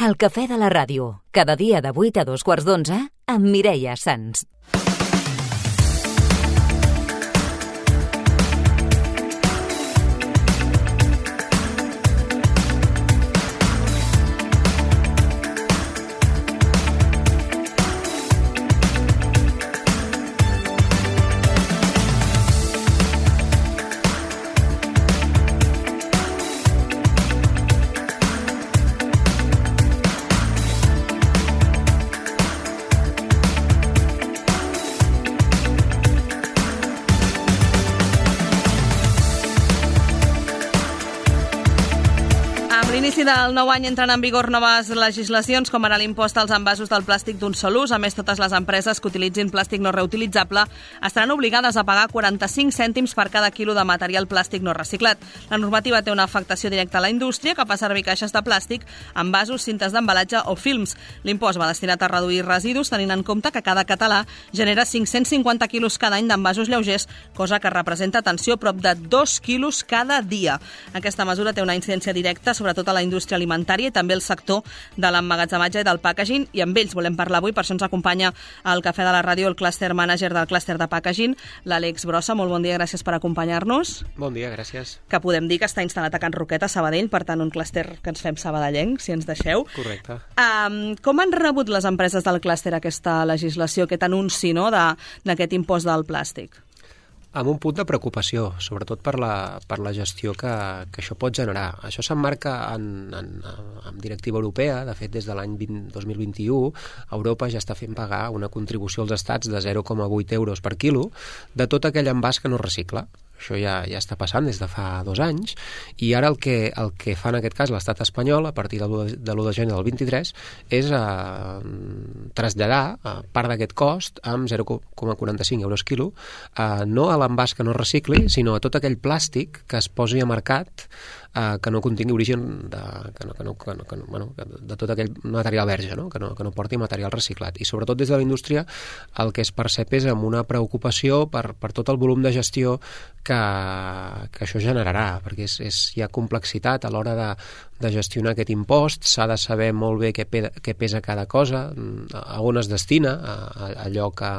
El cafè de la ràdio, cada dia de 8 a 2:15 amb Mireia Sans. L'inici del nou any entren en vigor noves legislacions, com ara l'impost als envasos del plàstic d'un sol ús. A més, totes les empreses que utilitzin plàstic no reutilitzable estaran obligades a pagar 45 cèntims per cada quilo de material plàstic no reciclat. La normativa té una afectació directa a la indústria, que fa servir caixes de plàstic, envasos, cintes d'embalatge o films. L'impost va destinat a reduir residus, tenint en compte que cada català genera 550 quilos cada any d'envasos lleugers, cosa que representa, atenció, prop de 2 quilos cada dia. Aquesta mesura té una incidència directa, sobretot a la indústria alimentària i també el sector de l'emmagatzematge i del packaging, i amb ells volem parlar avui. Per això ens acompanya al Cafè de la Ràdio el clúster manager del clúster de packaging, l'Àlex Brossa. Molt bon dia, gràcies per acompanyar-nos. Bon dia, gràcies. Que podem dir que està instal·lat a Can Roquet, a Sabadell, per tant un clúster que ens fem sabadellenc, si ens deixeu. Correcte. Com han rebut les empreses del clúster aquesta legislació, aquest anunci, no, d'aquest impost del plàstic? Amb un punt de preocupació, sobretot per la gestió que això pot generar. Això s'emmarca en directiva europea. De fet, des de l'any 2021, Europa ja està fent pagar una contribució als estats de 0,8 euros per quilo de tot aquell envàs que no recicla. Això ja està passant des de fa 2 anys, i ara el que fa en aquest cas l'estat espanyol, a partir de l'1 de gener del 23, és traslladar part d'aquest cost amb 0,45 euros quilo, no a l'envàs que no recicli, sinó a tot aquell plàstic que es posi a mercat que no contingui origen de tot aquell material verge, no? Que no porti material reciclat. I sobretot des de la indústria el que es percep és amb una preocupació per tot el volum de gestió que això generarà, perquè hi ha complexitat a l'hora de gestionar aquest impost. S'ha de saber molt bé què pesa cada cosa, a on es destina allò que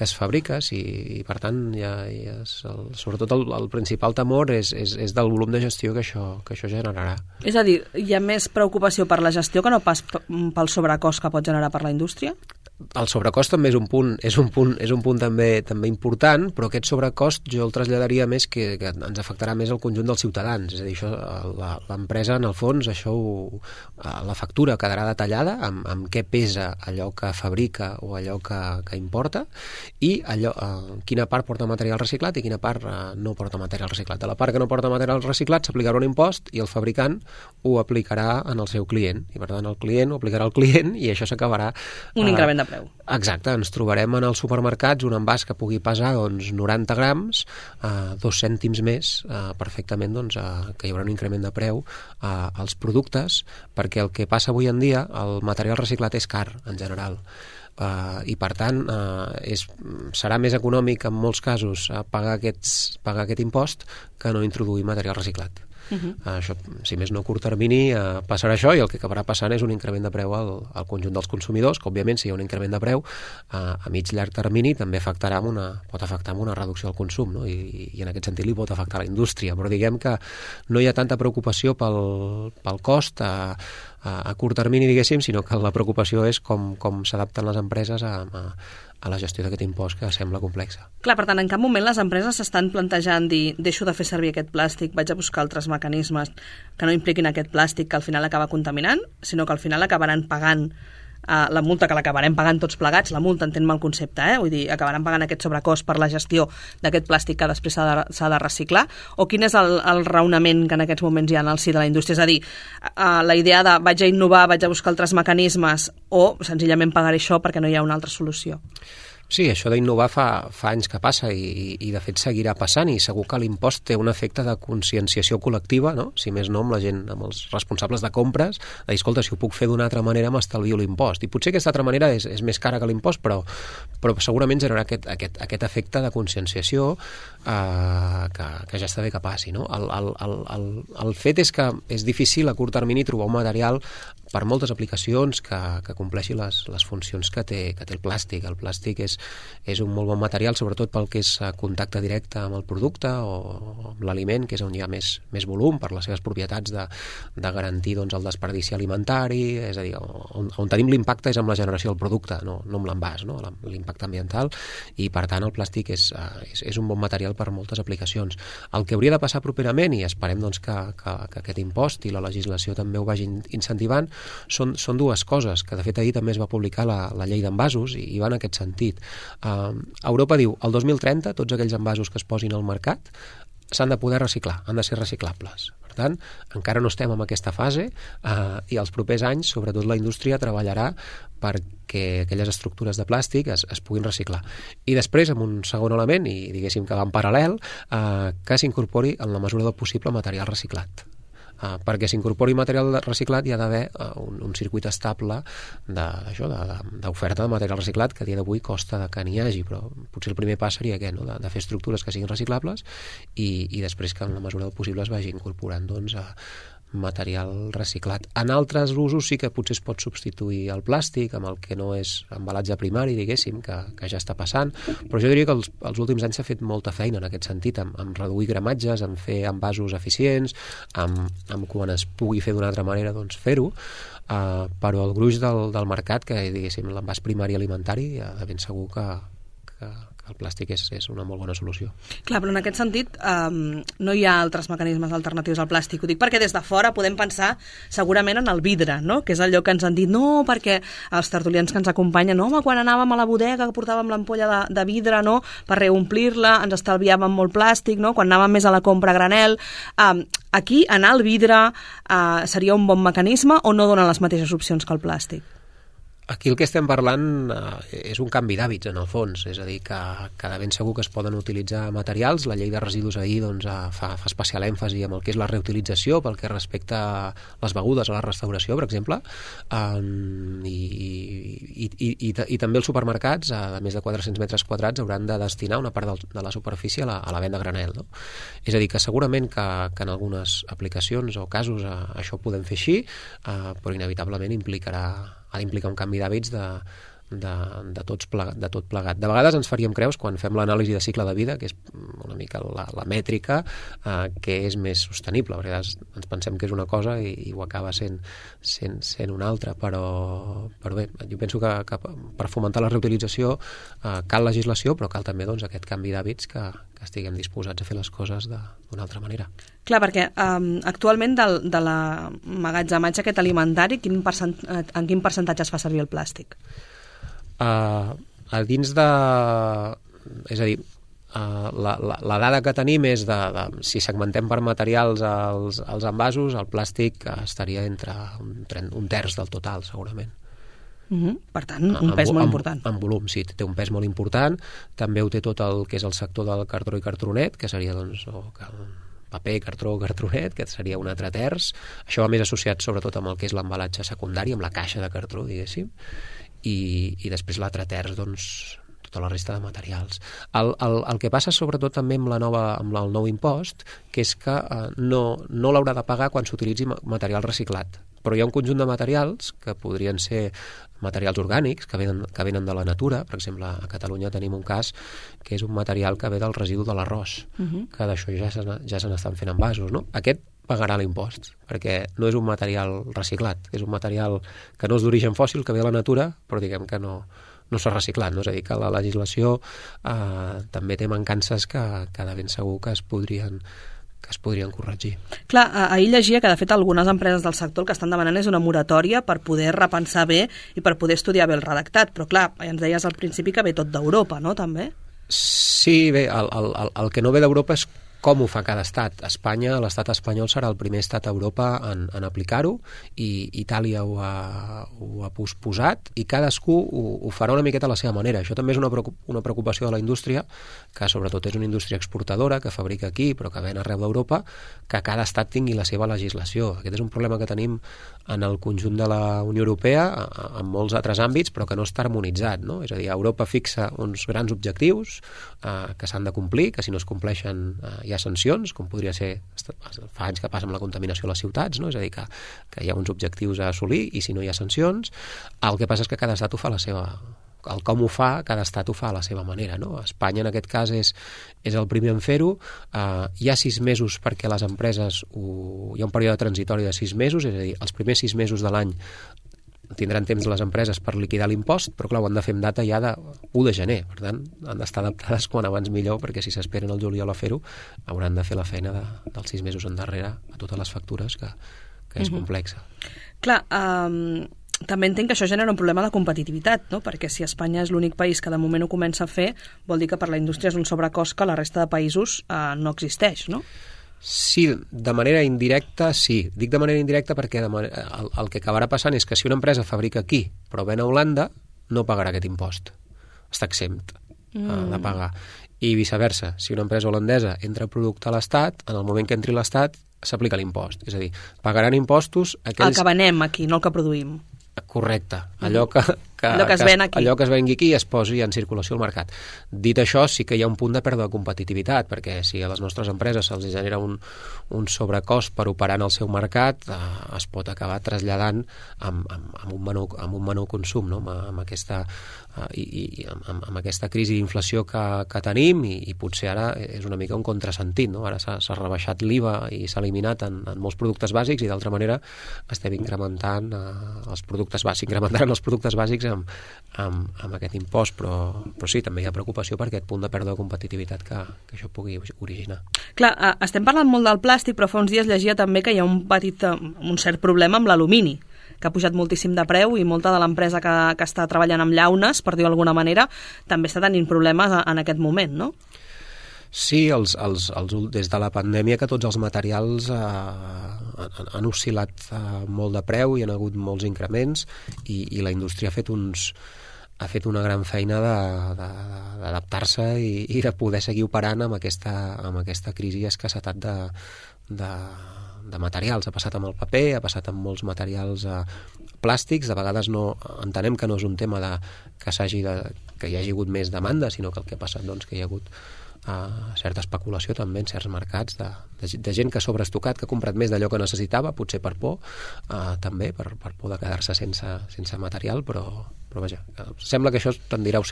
es fabrica, i per tant sobretot el principal temor és del volum de gestió que això generarà. És a dir, hi ha més preocupació per la gestió que no pas pel sobrecost que pot generar per la indústria? El sobrecost també és un punt també important, però aquest sobrecost jo el traslladaria més que ens afectarà més al conjunt dels ciutadans. És a dir, l'empresa, en el fons, la factura quedarà detallada amb què pesa allò que fabrica o allò que importa, i quina part porta material reciclat i quina part no porta material reciclat. De la part que no porta material reciclat s'aplicarà un impost i el fabricant ho aplicarà en el seu client. I per tant el client ho aplicarà al client i això s'acabarà... Un increment de preu. Exacte, ens trobarem en els supermercats un envàs que pugui pesar 90 grams, 2 cèntims més, perfectament que hi haurà un increment de preu als productes, perquè el que passa avui en dia, el material reciclat és car en general. I per tant serà més econòmic en molts casos pagar aquest impost que no introduir material reciclat. Això, si més no a curt termini, passarà això, i el que acabarà passant és un increment de preu al conjunt dels consumidors, que òbviament si hi ha un increment de preu a mig llarg termini també pot afectar amb una reducció del consum, no? I en aquest sentit li pot afectar a la indústria, però diguem que no hi ha tanta preocupació pel cost a curt termini, diguéssim, sinó que la preocupació és com s'adapten les empreses a la gestió d'aquest impost, que sembla complexa. Clar, per tant, en cap moment les empreses s'estan plantejant dir, deixo de fer servir aquest plàstic, vaig a buscar altres mecanismes que no impliquin aquest plàstic que al final acaba contaminant, sinó que al final acabaran pagant la multa, que l'acabarem pagant tots plegats. La multa, entenc-me el concepte, vull dir, acabaran pagant aquest sobrecost per la gestió d'aquest plàstic que després s'ha de reciclar, o quin és el raonament que en aquests moments hi ha en el si de la indústria? És a dir, la idea de vaig a innovar, vaig a buscar altres mecanismes, o senzillament pagaré això perquè no hi ha una altra solució? Sí, això d'innovar fa anys que passa i de fet seguirà passant, i segur que l'impost té un efecte de conscienciació col·lectiva, no? Si més no amb la gent, amb els responsables de compres, de dir, escolta, si ho puc fer d'una altra manera m'estalvio l'impost. I potser aquesta altra manera és més cara que l'impost, però segurament generarà aquest efecte de conscienciació que ja està bé que passi, no? El fet és que és difícil a curt termini trobar un material per moltes aplicacions que compleixi les funcions que té el plàstic. El plàstic és un molt bon material, sobretot pel que és contacte directe amb el producte o amb l'aliment, que és on hi ha més volum per les seves propietats de garantir doncs, el desperdici alimentari, és a dir, on tenim l'impacte és amb la generació del producte, no amb l'envàs, no? L'impacte ambiental, i per tant el plàstic és un bon material per moltes aplicacions. El que hauria de passar properament, i esperem doncs, que aquest impost i la legislació també ho vagin incentivant, són dues coses, que de fet ahir també es va publicar la llei d'envasos i va en aquest sentit. Europa diu, el 2030 tots aquells envasos que es posin al mercat s'han de poder reciclar, han de ser reciclables. Per tant, encara no estem en aquesta fase i els propers anys, sobretot la indústria, treballarà perquè aquelles estructures de plàstic es puguin reciclar. I després, amb un segon element, i diguéssim que va en paral·lel, que s'incorpori en la mesura del possible material reciclat. Perquè s'incorpori material reciclat hi ha d'haver un circuit estable d'oferta de material reciclat, que a dia d'avui costa que n'hi hagi, però potser el primer pas seria aquest, no? de fer estructures que siguin reciclables i després que en la mesura del possible es vagi incorporant doncs, material reciclat. En altres usos sí que potser es pot substituir el plàstic amb el que no és embalatge primari, diguéssim, que ja està passant, però jo diria que els últims anys s'ha fet molta feina en aquest sentit, amb reduir gramatges, amb fer envasos eficients, amb quan es pugui fer d'una altra manera doncs fer-ho, però el gruix del mercat, que diguéssim l'envàs primari alimentari, de ben segur que el plàstic és una molt bona solució. Clar, però en aquest sentit no hi ha altres mecanismes alternatius al plàstic. Ho dic perquè des de fora podem pensar segurament en el vidre, no? Que és allò que ens han dit, no, perquè els tertulians que ens acompanyen, no, home, quan anàvem a la bodega que portàvem l'ampolla de vidre, no?, per reomplir-la, ens estalviàvem molt plàstic, no?, quan anàvem més a la compra a granel. Aquí anar al vidre seria un bon mecanisme o no dona les mateixes opcions que el plàstic? Aquí el que estem parlant és un canvi d'hàbits, en el fons, és a dir, que de ben segur que es poden utilitzar materials. La llei de residus ahir doncs, fa especial èmfasi en el que és la reutilització pel que respecta a les begudes, a la restauració, per exemple, i també els supermercats, a més de 400 metres quadrats, hauran de destinar una part de la superfície a la venda a granel, no? És a dir, que segurament que en algunes aplicacions o casos això ho podem fer així, però inevitablement ha d'implicar un canvi d'hàbits de tot plegat. De vegades ens faríem creus quan fem l'anàlisi de cicle de vida, que és una mica la mètrica, que és més sostenible. A vegades ens pensem que és una cosa i ho acaba sent una altra, però bé, jo penso que per fomentar la reutilització cal legislació, però cal també doncs, aquest canvi d'hàbits que estiguem disposats a fer les coses d'una altra manera. Clar, perquè actualment de l'emmagatzematge aquest alimentari, en quin percentatge es fa servir el plàstic? A dins de... És a dir, la dada que tenim és si segmentem per materials els envasos, el plàstic estaria entre un terç del total, segurament. Per tant, un pes molt important. En volum, sí, té un pes molt important. També ho té tot el que és el sector del cartró i cartronet, que seria doncs, paper, cartró, cartronet, que seria un altre terç. Això va més associat sobretot amb el que és l'embalatge secundari, amb la caixa de cartró, diguéssim, i després l'altre terç, doncs, tota la resta de materials. El que passa sobretot també amb el nou impost, que és que no l'haurà de pagar quan s'utilitzi material reciclat. Però hi ha un conjunt de materials que podrien ser materials orgànics que venen de la natura. Per exemple, a Catalunya tenim un cas que és un material que ve del residu de l'arròs, que d'això ja se n'estan fent envasos, no? Aquest pagarà l'impost, perquè no és un material reciclat, és un material que no és d'origen fòssil, que ve de la natura, però diguem que no s'ha reciclat, no? És a dir, que la legislació també té mancances que de ben segur que es podrien corregir. Clar, ahir llegia que de fet algunes empreses del sector el que estan demanant és una moratòria per poder repensar bé i per poder estudiar bé el redactat, però clar, ja ens deies al principi que ve tot d'Europa, no, també? Sí, bé, el que no ve d'Europa és Com ho fa cada estat? Espanya, l'estat espanyol serà el primer estat a Europa en aplicar-ho, i Itàlia ho ha posposat, i cadascú ho farà una miqueta a la seva manera. Això també és una preocupació de la indústria, que sobretot és una indústria exportadora, que fabrica aquí però que ven arreu d'Europa, que cada estat tingui la seva legislació. Aquest és un problema que tenim en el conjunt de la Unió Europea, en molts altres àmbits, però que no està harmonitzat, no? És a dir, Europa fixa uns grans objectius que s'han de complir, que si no es compleixen hi ha sancions, com podria ser, fa anys que passa amb la contaminació a les ciutats, no? És a dir, que hi ha uns objectius a assolir i si no hi ha sancions, el que passa és que cada estat ho fa a la seva... El com ho fa, cada estat ho fa a la seva manera, no? Espanya, en aquest cas, és el primer en fer-ho. Hi ha 6 mesos perquè les empreses... Hi ha un període transitori de 6 mesos, és a dir, els primers 6 mesos de l'any tindran temps les empreses per liquidar l'impost, però clar, ho han de fer amb data ja de 1 de gener, per tant, han d'estar adaptades quan abans millor, perquè si s'esperen el juliol a fer-ho, hauran de fer la feina dels 6 mesos endarrere a totes les factures, que és complexa. Clar, també entenc que això genera un problema de competitivitat, no? Perquè si Espanya és l'únic país que de moment ho comença a fer, vol dir que per la indústria és un sobrecost que la resta de països no existeix, no? Sí, de manera indirecta, sí. Dic de manera indirecta perquè el que acabarà passant és que si una empresa fabrica aquí però ven a Holanda, no pagarà aquest impost. Està exempt de pagar. I viceversa, si una empresa holandesa entra producte a l'Estat, en el moment que entri a l'Estat s'aplica l'impost. És a dir, pagaran impostos aquells... El que venem aquí, no el que produïm. Correcte, allò que es ven aquí. Allò que es vengui aquí i es posi en circulació al mercat. Dit això, sí que hi ha un punt de pèrdua de competitivitat, perquè si a les nostres empreses se'ls genera un sobrecost per operar en el seu mercat, es pot acabar traslladant amb un menor consum, no? amb aquesta crisi d'inflació que tenim, i potser ara és una mica un contrasentit, no? Ara s'ha rebaixat l'IVA i s'ha eliminat en molts productes bàsics, i d'altra manera estem incrementant els productes bàsics amb aquest impost, però sí, també hi ha preocupació per aquest punt de pèrdua de competitivitat que això pugui originar. Clar, estem parlant molt del plàstic, però fa uns dies llegia també que hi ha un cert problema amb l'alumini, que ha pujat moltíssim de preu, i molta de l'empresa que està treballant amb llaunes, per dir-ho d'alguna manera, també està tenint problemes en aquest moment, no? Sí, des de la pandèmia que tots els materials han oscil·lat molt de preu, hi ha hagut molts increments, i la indústria ha fet una gran feina d'adaptar-se i de poder seguir operant amb aquesta crisi i escassetat de materials. Ha passat amb el paper, ha passat amb molts materials plàstics. De vegades entenem que no és un tema que hi hagi hagut més demanda, sinó que el que ha passat que hi ha hagut certa especulació també en certs mercats de gent que ha sobreestocat, que ha comprat més d'allò que necessitava, potser per por, també per por de quedar-se sense material, però vaja, sembla que això tendirà a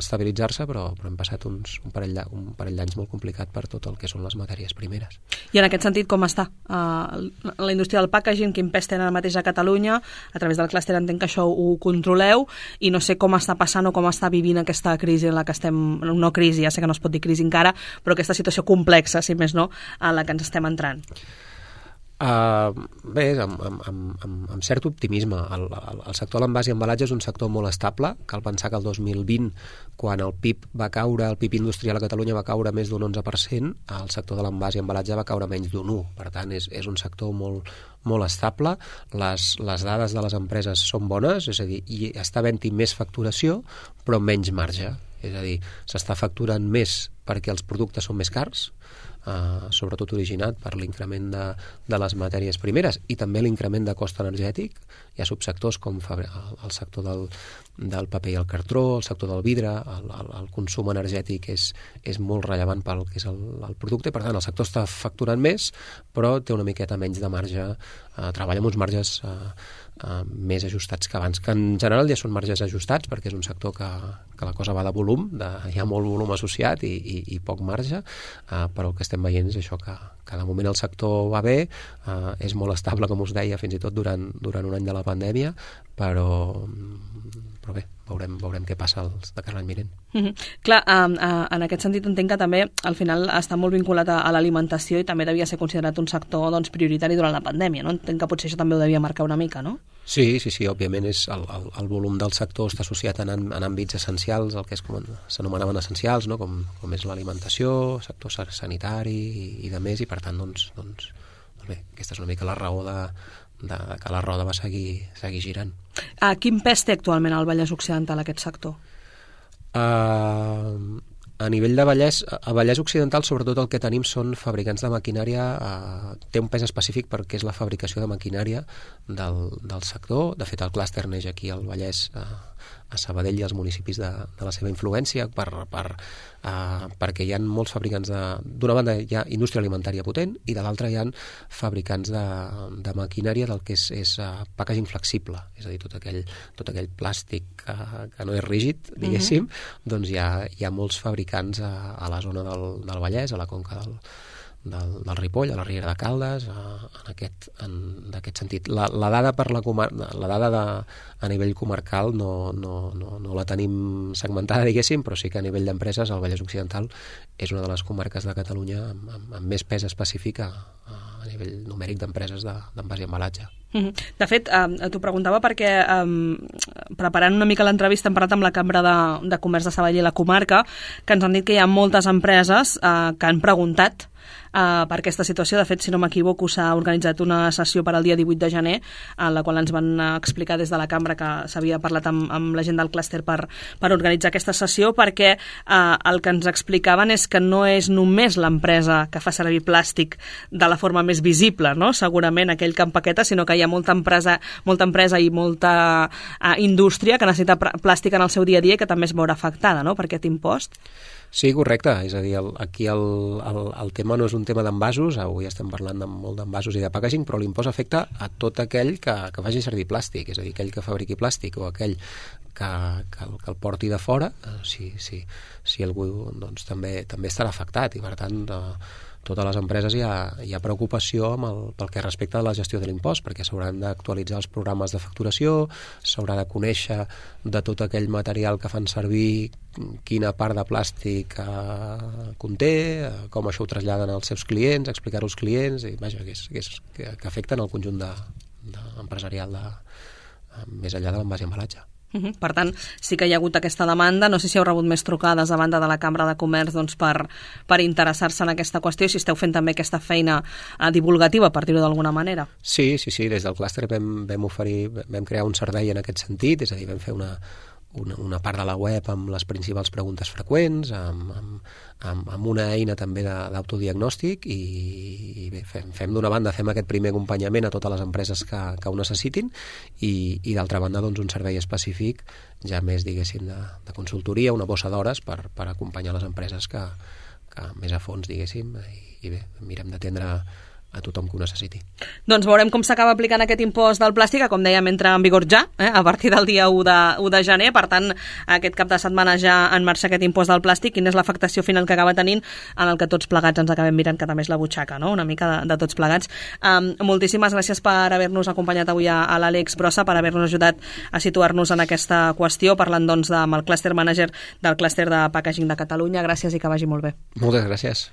estabilitzar-se, però hem passat un parell d'anys molt complicat per tot el que són les matèries primeres. I en aquest sentit, com està la indústria del packaging? Quin pes tenen ara mateix a Catalunya? A través del clúster entenc que això ho controleu, i no sé com està passant o com està vivint aquesta crisi en la que estem, no crisi, ja sé que no es pot dir crisi encara, però aquesta situació complexa, si més no, en la que ens estem entrant. Bé, amb cert optimisme. El sector de l'envàs i embalatge és un sector molt estable. Cal pensar que el 2020, quan el PIB industrial a Catalunya va caure més d'un 11%, el sector de l'envàs i embalatge va caure menys d'un 1%. Per tant, és un sector molt estable. Les dades de les empreses són bones, és a dir, hi està havent-hi més facturació, però menys marge. És a dir, s'està facturant més perquè els productes són més cars, sobretot originat per l'increment de les matèries primeres i també l'increment de cost energètic. Hi ha subsectors com el sector del paper i el cartró, el sector del vidre, el consum energètic és molt rellevant pel que és el producte, per tant el sector està facturant més, però té una miqueta menys de marge, treballa amb uns marges més ajustats que abans, que en general ja són marges ajustats perquè és un sector que la cosa va de volum, hi ha molt volum associat i poc marge, però el que estem veient és això, que de moment el sector va bé, és molt estable, com us deia, fins i tot durant un any de la pandèmia, però bé, veurem què passa de cara a l'any vinent. Clar, en aquest sentit entenc que també al final està molt vinculat a l'alimentació i també devia ser considerat un sector prioritari durant la pandèmia, no? Entenc que potser això també ho devia marcar una mica, no? Sí, òbviament el volum del sector està associat en àmbits essencials, el que s'anomenaven essencials, no? com és l'alimentació, sector sanitari i de més, i per tant, doncs bé, aquesta és una mica la raó de que la roda va seguir girant. Quin pes té actualment al Vallès Occidental aquest sector? A nivell de Vallès, a Vallès Occidental sobretot el que tenim són fabricants de maquinària, té un pes específic perquè és la fabricació de maquinària del sector. De fet, el clúster neix aquí al Vallès, a Sabadell i als municipis de la seva influència, perquè hi ha molts fabricants d'una banda hi ha indústria alimentària potent i de l'altra hi ha fabricants de maquinària del que és packaging flexible, és a dir, tot aquell plàstic que no és rígid, diguéssim, doncs hi ha molts fabricants a la zona del Vallès, a la conca del Ripoll, a la Riera de Caldes, d'aquest sentit. La dada a nivell comarcal no la tenim segmentada, diguéssim, però sí que a nivell d'empreses el Vallès Occidental és una de les comarques de Catalunya amb més pes específic a nivell numèric d'empreses d'envàs i embalatge. De fet, t'ho preguntava perquè preparant una mica l'entrevista hem parlat amb la Cambra de Comerç de Sabadell i la comarca, que ens han dit que hi ha moltes empreses que han preguntat per aquesta situació. De fet, si no m'equivoco, s'ha organitzat una sessió per al dia 18 de gener, en la qual ens van explicar des de la Cambra que s'havia parlat amb la gent del clúster per organitzar aquesta sessió, perquè el que ens explicaven és que no és només l'empresa que fa servir plàstic de la forma més visible, no? Segurament aquell que empaqueta, sinó que hi ha molta empresa i molta indústria que necessita plàstic en el seu dia a dia i que també es veurà afectada, no?, per aquest impost. Sí, correcte. És a dir, aquí el tema no és un tema d'envasos, avui estem parlant molt d'envasos i de packaging, però l'impost afecta a tot aquell que faci servir plàstic, és a dir, aquell que fabriqui plàstic o aquell que el porti de fora, si algú doncs, també estarà afectat, i per tant totes les empreses hi ha preocupació pel que respecta a la gestió de l'impost, perquè s'hauran d'actualitzar els programes de facturació, s'haurà de conèixer de tot aquell material que fan servir quina part de plàstic conté, com això ho traslladen als seus clients, explicar-ho als clients, i vaja, que afecten el conjunt empresarial més enllà de l'envàs i embalatge. Per tant, sí que hi ha hagut aquesta demanda. No sé si heu rebut més trucades a banda de la Cambra de Comerç doncs, per interessar-se en aquesta qüestió, i si esteu fent també aquesta feina divulgativa, per dir-ho d'alguna manera. Sí, des del clúster vam crear un servei en aquest sentit, és a dir, vam fer una part de la web amb les principals preguntes freqüents, amb una eina també d'autodiagnòstic, i bé, fem d'una banda aquest primer acompanyament a totes les empreses que ho necessitin, i d'altra banda doncs, un servei específic ja més, diguéssim, de consultoria, una bossa d'hores per acompanyar les empreses que més a fons, diguéssim, i bé, mirem d'atendre a tothom que ho necessiti. Doncs veurem com s'acaba aplicant aquest impost del plàstic, que, com dèiem, entra en vigor ja, a partir del dia 1 de gener. Per tant, aquest cap de setmana ja en marxa aquest impost del plàstic. Quina és l'afectació final que acaba tenint, en el que tots plegats ens acabem mirant, que també és la butxaca, no?, una mica de tots plegats. Moltíssimes gràcies per haver-nos acompanyat avui a l'Àlex Brossa, per haver-nos ajudat a situar-nos en aquesta qüestió, parlant doncs amb el clúster manager del clúster de packaging de Catalunya. Gràcies i que vagi molt bé. Moltes gràcies.